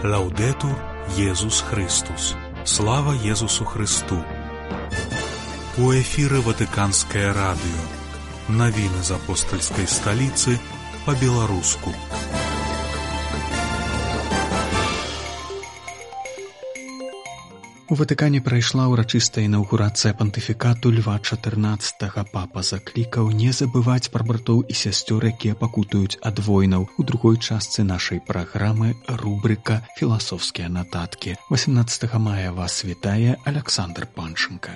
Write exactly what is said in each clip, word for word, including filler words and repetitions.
Лаўдэтур Езус Христус. Слава Езусу Христу. У эфіры Ватыканскае радыё. Навіны з апостальскай сталіцы па-беларуску. У Ватыкане прайшла ўрачыстая інаўгурацыя пантыфікату Льва чатырнаццатага. Папа заклікаў не забываць пра братоў і сясцёр, якія пакутуюць ад войнаў. У другой частцы нашай праграмы рубрыка «Філасофскія нататкі». васемнаццатага мая вас вітае Аляксандр Панченка.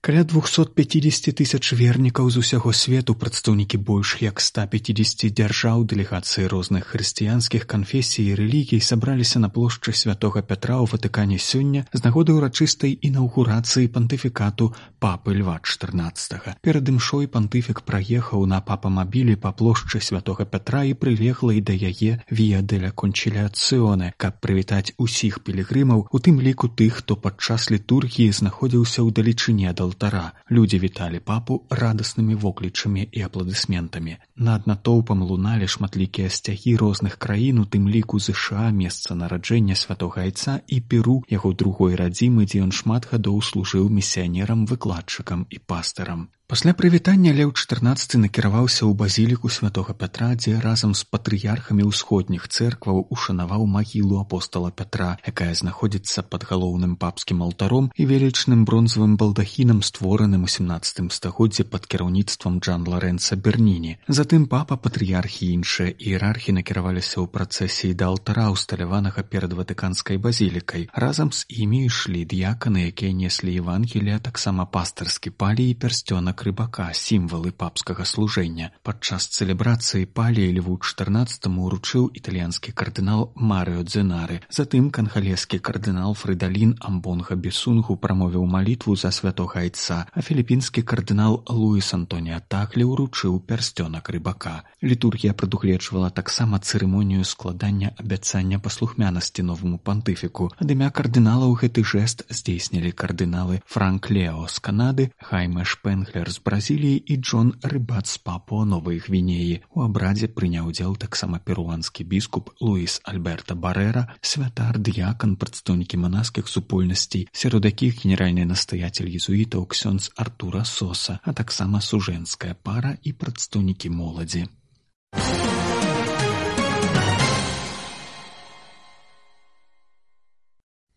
Каля двухсот пятидесяти тысяч вернікаў з усяго свету, прадстаўнікі больш як ста пятидесяти дзяржаў, дэлегацыі розных хрысціянскіх канфесій і рэлігій сабраліся на плошчы Святога Пятра ў Ватыкане сёння з нагоды ўрачыстай інаўгурацыі пантыфікату папы Льва чатырнаццатага. Перад імшой пантыфік праехаў на папамабілі па плошчы Святога Пятра і прылеглай да яе Віа деля Кончіляцыоне, каб прывітаць усіх пілігрымаў, у тым ліку тых, хто падчас літургіі знаходзіўся ў далечыне ад алтара. Людзі віталі папу радаснымі воклічамі і апладысментамі. Над натоўпам луналі шматлікія сцягі розных краін, у тым ліку ЗША, месца нараджэння святога Айца, і Перу, яго другой радзімы, дзе ён шмат гадоў служыў місіянерам, выкладчыкам і пастырам. Пасля прывітання Леў чатырнаццаты накіраваўся ў базіліку Святога Пятра, дзе разам з патрыярхамі ўсходніх цэркваў ушанаваў магілу апостала Пятра, якая знаходзіцца пад галоўным папскім алтаром і велічным бронзавым балдахінам, створаным у сямнаццатым стагоддзі пад кіраўніцтвам Джан Лорэнца Берніні. Затым папа, патрыярхі і іншыя іерархі накіраваліся ў працэсіі да алтара, усталяванага перад Ватыканскай базілікай. Разам з імі ішлі дыяканы, якія неслі Евангелія, таксама пастырскі палій і пярсцёнак рыбака, сімвалы папскага служэння. Падчас цэлебрацыі палій Льву чатырнаццатаму ўручыў італьянскі кардынал Марыо Дзенары. Затым кангалескі кардынал Фрыдалін Амбонга Бесунгу прамовіў малітву за святога Айца, а філіпінскі кардынал Луіс Антоніа Таглі ўручыў пярсцёнак рыбака. Літургія прадугледжвала таксама цырымонію складання абяцання паслухмянасці новаму пантыфіку. Ад імя кардыналаў гэты жэст здзейснілі кардыналы Франк Лео з Канады, Хайме Шпенглер з Бразіліі і Джон Рыбат з Папуа-Новай Гвінеі. У абрадзе прыняў удзел таксама перуанскі біскуп Луіс Альберта Барэра, святар, дыякан, прадстаўнікі манаскіх супольнасцей, сярод якіх генеральны настаяцель езуітаў ксёндз Артура Соса, а таксама сужэнская пара і прадстаўнікі моладзі.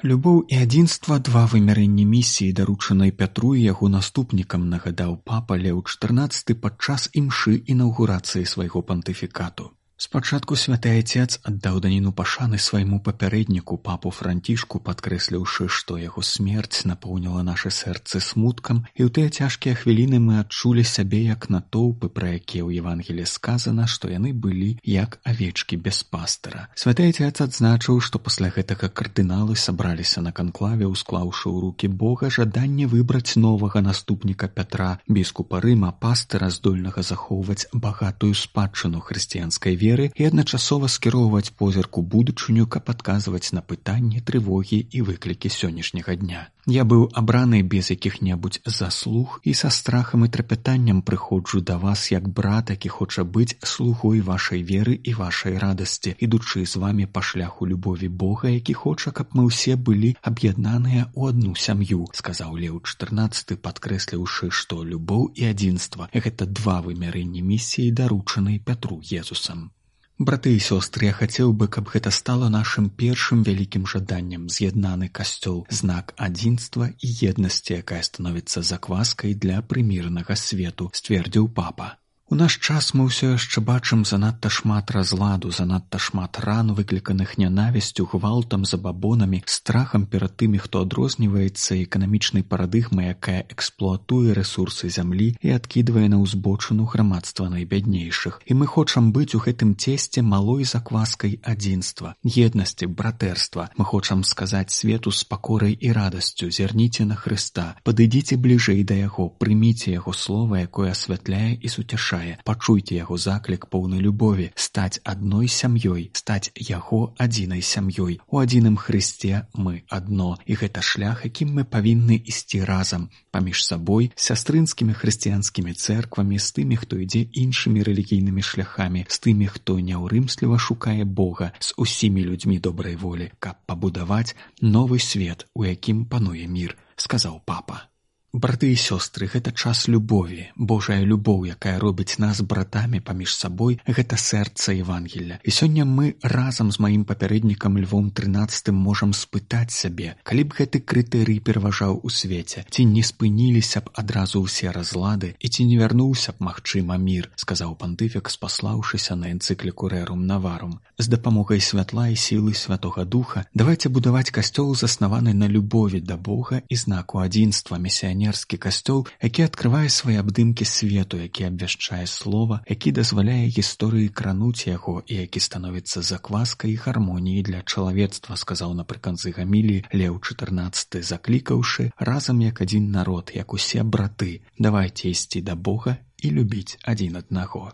Любоў і адзінства — два вымярэнні місіі, даручанай Пятру і яго наступнікам, нагадаў папа Леў чатырнаццаты падчас імшы інаўгурацыі свайго пантыфікату. Спачатку святы Айцец аддаў даніну пашаны свайму папярэдніку, папу Францішку, падкрэсліўшы, што яго смерць напоўніла нашы сэрцы смуткам, і ў тыя цяжкія хвіліны мы адчулі сябе як натоўпы, пра якія ў Евангелі сказана, што яны былі як авечкі без пастыра. Святы Айцец адзначыў, што пасля гэтага кардыналы сабраліся на канклаве, усклаўшы ў рукі Бога жаданне выбраць новага наступніка Пятра, біскупа Рыма, пастыра, здольнага захоўваць багатую спадчыну хрысціянскай веры і адначасова скіроўваць позірк у будучыню, каб адказваць на пытанні, трывогі і выклікі сённяшняга дня. Я быў абраны без якіх-небудзь заслуг і са страхам і трапятаннем прыходжу да вас як брат, які хоча быць слугой вашай веры і вашай радасці, ідучы з вамі па шляху любові Бога, які хоча, каб мы ўсе былі аб'яднаныя ў адну сям'ю, сказаў Леў чатырнаццаты, падкрэсліўшы, што любоў і адзінства — гэта два вымярэнні місіі, даручанай Пятру Езусам. Браты і сёстры, я хацеў бы, каб гэта стала нашым першым вялікім жаданнем, з'яднаны касцёл, знак адзінства і еднасці, якая становіцца закваскай для прымірнага свету, сцвердзіў папа. У наш час мы ўсё яшчэ бачым занадта шмат разладу, занадта шмат ран, выкліканых нянавісцю, гвалтам, забабонамі, страхам перад тымі, хто адрозніваецца, эканамічнай парадыгмай, якая эксплуатуе рэсурсы зямлі і адкідвае на ўзбочыну грамадства найбяднейшых. І мы хочам быць у гэтым цесце малой закваскай адзінства, еднасці, братэрства. Мы хочам сказаць свету з пакорай і радасцю: зірніце на Хрыста, падыдзіце бліжэй да яго, прыміце яго слова, якое асвятляе і суцяшае запрашае. Пачуйце яго заклік поўны любові, стаць адной сям'ёй, стаць яго адзінай сям'ёй. У адзіным Хрысце мы адно, і гэта шлях, якім мы павінны ісці разам, паміж сабой, сястрынскімі хрысціянскімі цэрквамі, з тымі, хто ідзе іншымі рэлігійнымі шляхамі, з тымі, хто няўрымсліва шукае Бога, з усімі людзьмі добрай волі, каб пабудаваць новы свет, у якім пануе мір, сказаў папа. Браты і сёстры, гэта час любові. Божая любоў, якая робіць нас братамі паміж сабой, гэта сэрца Евангелля. І сёння мы разам з маім папярэднікам Львом трынаццатым можам спытаць сябе, калі б гэты крытэрый пераважаў у свеце, ці не спыніліся б адразу ўсе разлады і ці не вярнуўся б, магчыма, мір, сказаў пантыфік, спаслаўшыся на энцыкліку Рэрум Наварум. З дапамогай святла і сілы Святога Духа давайце будаваць касцёл, заснаваны на любові да Бога і знаку адзінства, місіянерства, касцёл, які адкрывае свае абдымкі свету, які абвяшчае слова, які дазваляе гісторыі крануць яго і які становіцца закваскай і гармоніяй для чалавецтва, сказаў напрыканцы гаміліі Леў чатырнаццаты, заклікаўшы разам як адзін народ, як усе браты, давайце ісці да Бога і любіць адзін аднаго.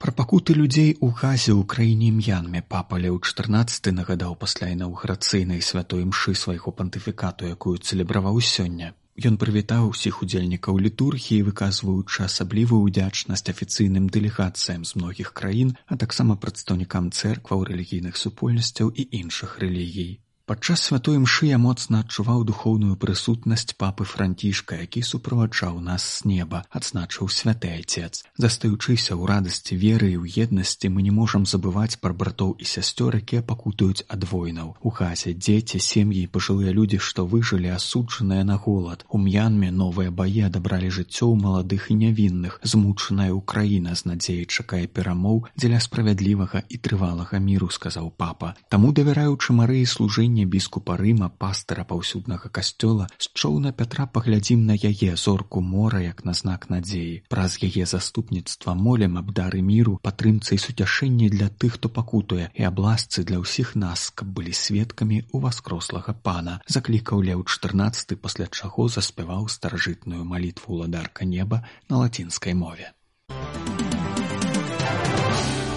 Пра пакуты людзей у Газе ў краіне М'янме папа Леў чатырнаццаты нагадаў пасля інаўгурацыйнай святой імшы свайго пантыфікату, якую цэлебраваў сёння. Ён прывітаў усіх удзельнікаў літургіі, выказваючы асаблівую ўдзячнасць афіцыйным дэлегацыям з многіх краін, а таксама прадстаўнікам цэркваў, рэлігійных супольнасцяў і іншых рэлігій. Падчас святой імшы я моцна адчуваў духоўную прысутнасць папы Францішка, які суправаджаў нас з неба, адзначыў святы айцец. Застаючыся ў радасці веры і ў еднасці, мы не можам забываць пра братоў і сясцёр, якія пакутуюць ад войнаў. У Газе дзеці, сем'і і пажылыя людзі, што выжылі, асуджаныя на голад. У М'янме новыя баі адабралі жыццё ў маладых і нявінных. Змучаная ўкраіна з надзеяй чакае перамоў дзеля справядлівага і трывалага міру, сказаў папа. Таму, давяраючы Марыі служэння біскупа Рыма, пастыра паўсюднага касцёла, з чоўна Пятра паглядзім на яе, зорку мора, як на знак надзеі. Праз яе заступніцтва молім аб дары міру, падтрымцы і суцяшэнні для тых, хто пакутуе, і аб ласцы для ўсіх нас, каб былі сведкамі ў васкрослага пана, заклікаў Леў чатырнаццаты, пасля чаго заспяваў старажытную малітву ўладарка неба на лацінскай мове.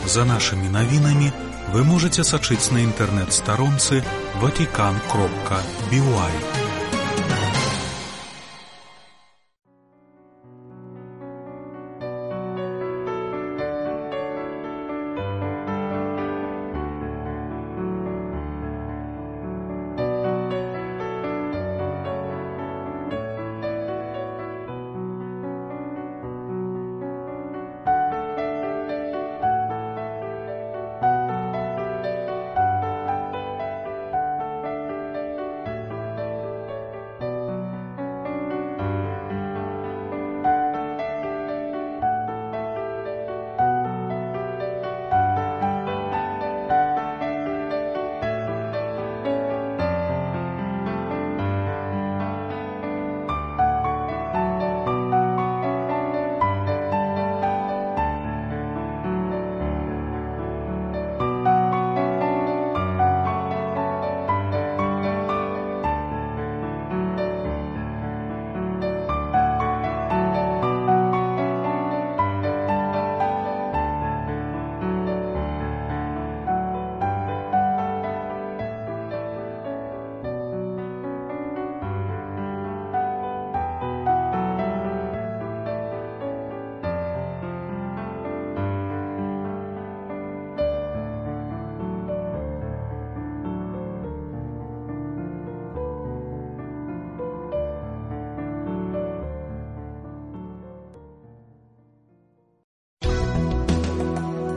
За нашими новинами вы можете сачыць на інтэрнэт-старонцы ватикан кропка би уай.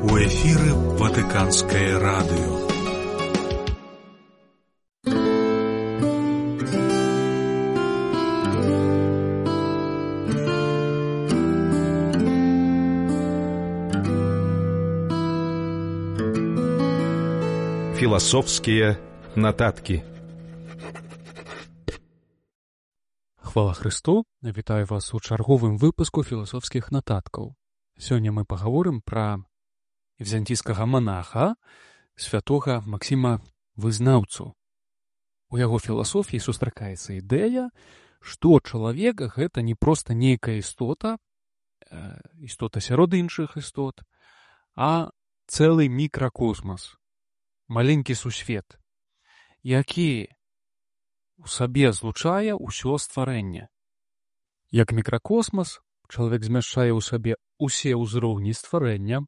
У эфіры Ватыканскае радыё. Філасофскія нататкі. Хвала Хрысту, вітаю вас у чарговым выпуску філасофскіх нататкаў. Сёння мы пагаворым пра візантійскага манаха, святога Максіма Вызнаўцу. У яго філасофіі сустракаецца ідэя, што чалавек — гэта не проста нейкая істота, істота сярод іншых істот, а цэлы мікракосмас, маленькі сусвет, які у сабе злучае ўсё стварэнне. Як мікракосмас, чалавек змяшчае ў сабе ўсе ўзроўні стварэння,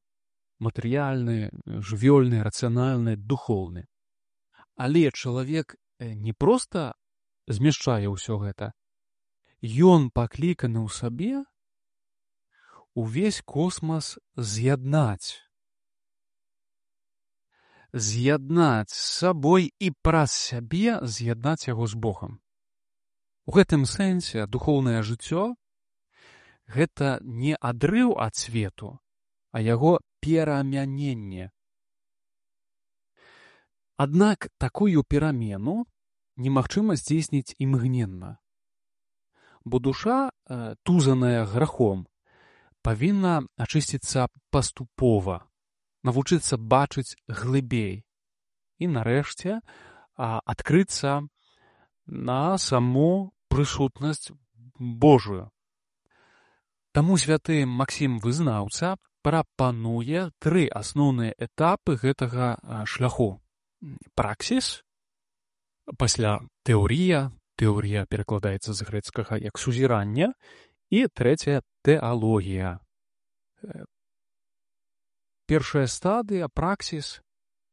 матэрыяльны, жывёльны, рацыянальны, духоўны. Але чалавек не проста змяшчае ўсё гэта, ён пакліканы ў сабе увесь космас з'яднаць. З'яднаць з сабой і праз сябе з'яднаць яго з Богам. У гэтым сэнсе духоўнае жыццё — гэта не адрыў ад свету, а яго перамяненне. Аднак такую перамену немагчыма здзейсніць імгненна. Бо душа, тузаная грахом, павінна ачысціцца паступова, навучыцца бачыць глыбей і, нарэшце, адкрыцца на саму прысутнасць Божую. Таму святы Максім Вызнаўца прапануе тры асноўныя этапы гэтага шляху. Праксіс, пасля тэорія, тэорія перакладаецца з грэцкага як сузіранне, і трэцяя — тэалогія. Першая стадыя, праксіс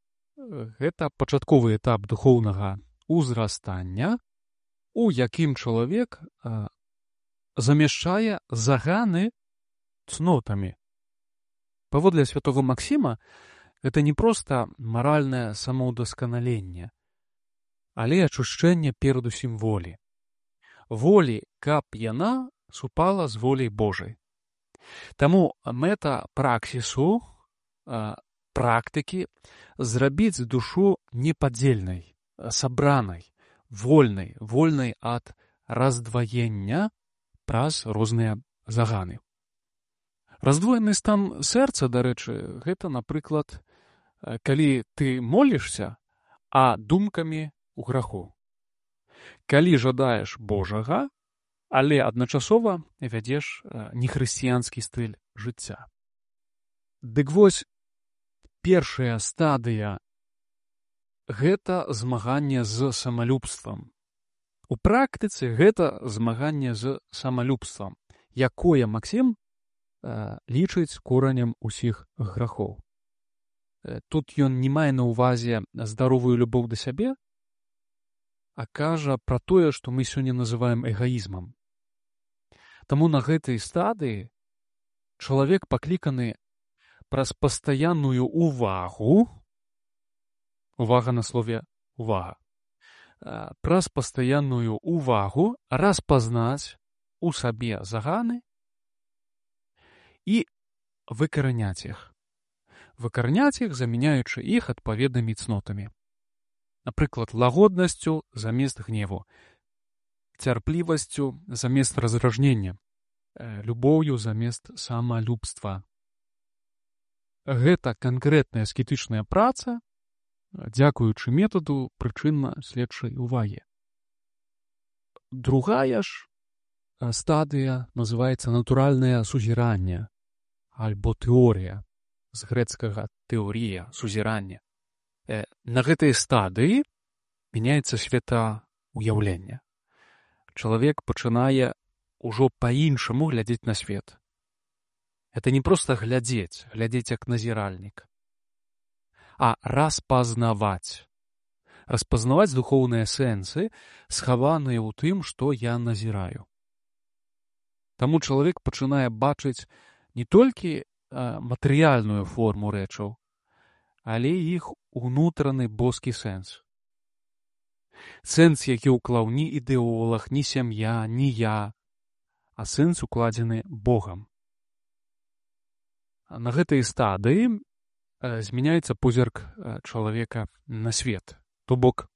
— гэта пачатковы этап духоўнага узрастання, у якім чалавек замяшчае заганы цнотамі. Паводле святого Максіма, гэта не проста маральнае самаўдасканаленне, але ачушчэнне перадусім волі. Волі, каб яна супала з воляй Божай. Таму мэта праксісу, практыкі — зрабіць душу непадзельнай, сабранай, вольнай, вольнай ад раздваення праз розныя заганы. Раздвоены стан сэрца, дарэчы, гэта, напрыклад, калі ты молішся, а думкамі ў граху. Калі жадаеш Божага, але адначасова вядзеш нехрысціянскі стыль жыцця. Дык вось, першая стадыя — гэта змаганне з самалюбствам. У практыцы гэта змаганне з самалюбствам, якое Максім лічыць коранем усіх грахоў. Тут ён не мае на ўвазе здаровую любоў да сябе, а кажа пра тое, што мы сёння называем эгаізмам. Таму на гэтай стадыі чалавек пакліканы праз пастаянную увагу, увага на слове «увага», праз пастаянную увагу распазнаць у сабе заганы і выкараняць іх. Выкараняць іх, замяняючы іх адпаведнымі цнотамі. Напрыклад, лагоднасцю замест гневу, цярплівасцю замест раздражнення, любоўю замест самалюбства. Гэта канкрэтная аскетычная праца, дзякуючы метаду прычынна-следчай увагі. Другая ж стадыя называецца натуральнае сузіранне альбо тэорія, з грэцкага тэорія, сузіранне. На гэтай стадыі мяняецца светаўяўленне. Чалавек пачынае ўжо па-іншаму глядзець на свет. Это не проста глядзець, глядзець як назіральнік, а распазнаваць. Распазнаваць духоўныя сэнсы, схаваныя ў тым, што я назіраю. Таму чалавек пачынае бачыць не толькі матэрыяльную форму рэчаў, але іх унутраны боскі сэнс. Сэнс, які ўклаў ні ідэолаг, ні сям'я, ні я, а сэнс укладзены Богам. На гэтай стадыі змяняецца позірк чалавека на свет. То бок,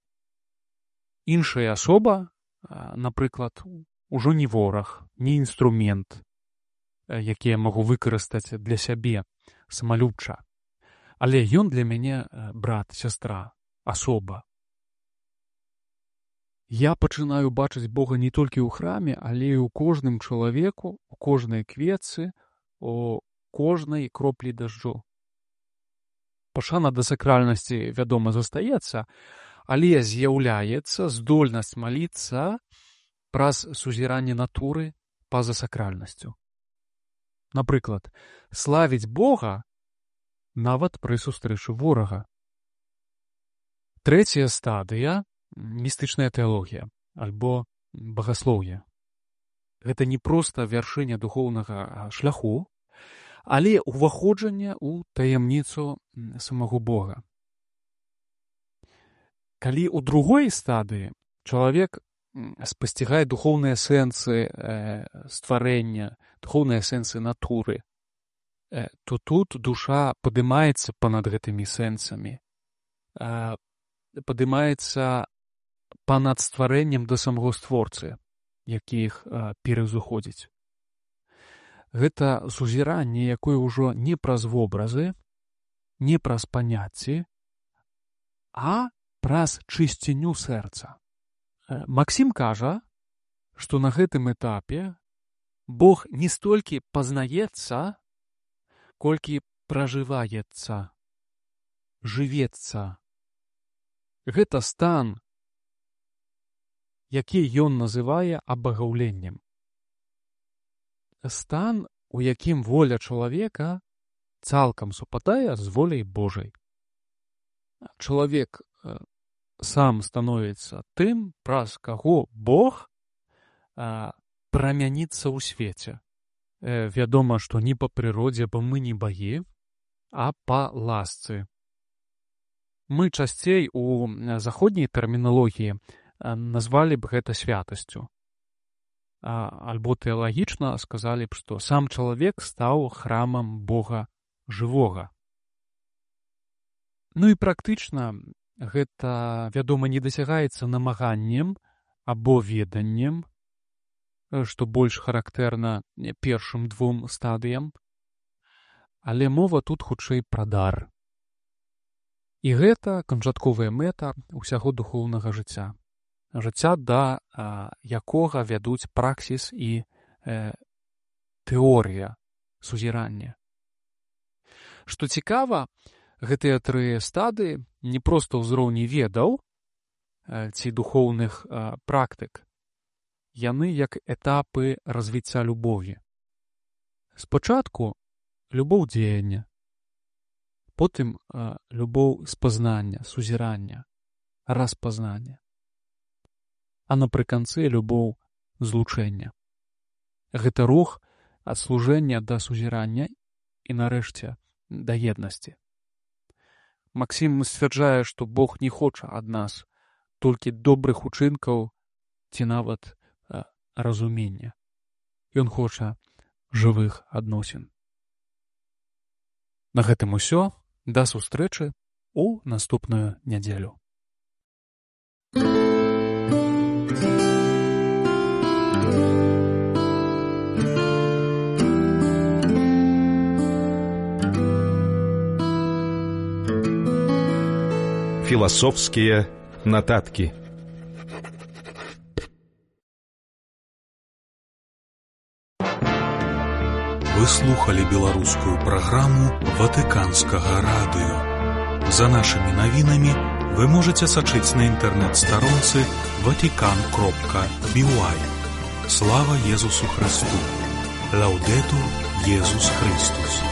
іншая асоба, напрыклад, ужо не вораг, не інструмент, які я магу выкарыстаць для сябе самалюбча. Але ён для мяне брат, сястра, асоба. Я пачынаю бачыць Бога не толькі ў храме, але і ў кожным чалавеку, у кожнай кветцы, у кожнай кроплі дажджу. Пашана да сакральнасці, вядома, застаецца, але з'яўляецца здольнасць маліцца праз сузіранне натуры па-за сакральнасцю. Напрыклад, славіць Бога нават пры сустрэчы ворага. Трэцяя стадыя — містычная тэалогія альбо багаслоўе. Гэта не проста вяршыня духоўнага шляху, але ўваходжанне ў таямніцу самого Бога. Калі ў другой стадыі чалавек спасцігае духоўныя сэнсы э, стварэння, духоўныя сэнсы натуры, э, то тут душа падымаецца панад гэтымі сэнсамі, э, падымаецца панад стварэннем да самого створцы, які іх э, пераўзыходзіць. Гэта сузіранне, якое ўжо не праз вобразы, не праз паняцці, а праз чысціню сэрца. Максім кажа, што на гэтым этапе Бог не столькі пазнаецца, колькі пражываецца, жывецца. Гэта стан, які ён называе абагаўленнем. Стан, у якім воля чалавека цалкам супадае з воляй Божай. Чалавек сам становіцца тым, праз каго Бог а, прамяніцца ў свеце. Э, вядома, што не па прыродзе, бо мы не багі, а па ласцы. Мы часцей у заходняй тэрміналогіі назвалі б гэта святасцю. А, альбо тэалагічна сказалі б, што сам чалавек стаў храмам Бога жывога. Ну і практычна гэта, вядома, не дасягаецца намаганнем або веданнем, што больш характэрна першым двум стадыям, але мова тут хутчэй пра дар. І гэта канчатковая мэта ўсяго духоўнага жыцця. Жыцця, да а, якога вядуць праксіс і э, тэорыя сузірання. Што цікава, гэтыя тры стадыі не проста ўзроўні ведаў ці духоўных а, практык. Яны як этапы развіцця любові. Спачатку любоў дзеяння, потым а, любоў спазнання, сузірання, распазнання, а напрыканцы любоў злучэння. Гэта рух ад служэння да сузірання і, нарэшце, да еднасці. Максім сцвярджае, што Бог не хоча ад нас толькі добрых учынкаў ці нават а, разумення. Ён хоча жывых адносін. На гэтым усё. Да сустрэчы ў наступную нядзелю. Философские нотатки. Вы слухали беларускую праграму Ватыканскага радыё. За нашымі навінамі вы можаце сачыць на інтэрнэт-старонцы ватикан кропка би уай. Слава Езусу Христу! Лаудетур Езус Христус!